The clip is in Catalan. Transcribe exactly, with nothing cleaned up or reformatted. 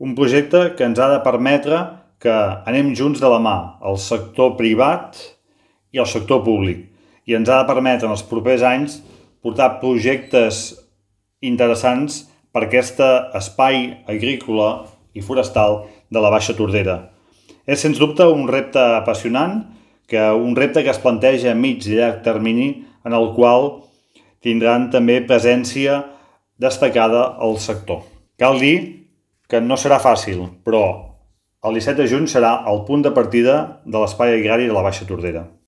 Un projecte que ens ha de permetre que anem junts de la mà, el sector privat i el sector públic, i ens ha de permetre en els propers anys portar projectes interessants per aquest espai agrícola i forestal de la Baixa Tordera. És sens dubte un repte apassionant, que un repte que es planteja a mig i llarg termini, en el qual tindran també presència destacada al sector. Cal dir que no serà fàcil, però el disset de juny serà el punt de partida de l'espai agrari de la Baixa Tordera.